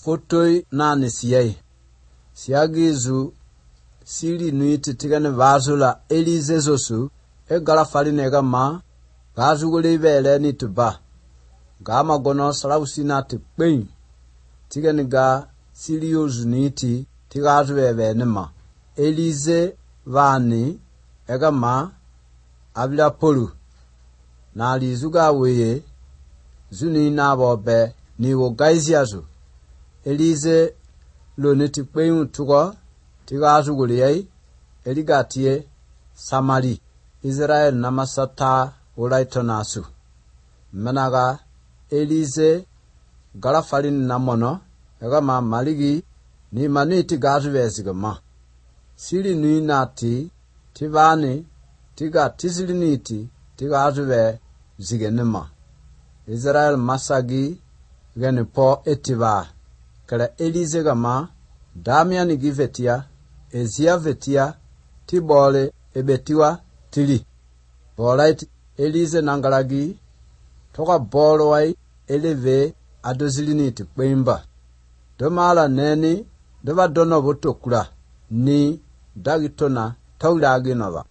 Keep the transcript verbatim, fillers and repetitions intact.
fotoi nani siyai. Siyagizu sili nuiti tigane vazula Elize zosu e gala faline gama gazu gule vele ni tuba. Gama gono salawusina te kwen. Tigane ga sili yozu nuiti tigazu veve nema. Elize vani egama abila polu. Na alizuga weye zuni na bobe ni wo gaiziazu. Elize lo neti kwen tugo tigazu gule yei eligatie Samari. Israel namasata ulaito nasu. Menaga Elize galafalin namono egama maligi ni maniti gazu vezigama. Sili nui nati tivani tiga tisili niti tigazu ve zigenema. Israel masagi gani po etiva. Kala Elize gama Damian givetia ezia vetia tibole ebetiwa tili. Bolait Elize nangalagi toka bolo wai eleve adoziliniti kwemba. Domala neni dova dono botokula ni dagitona taulagi nova.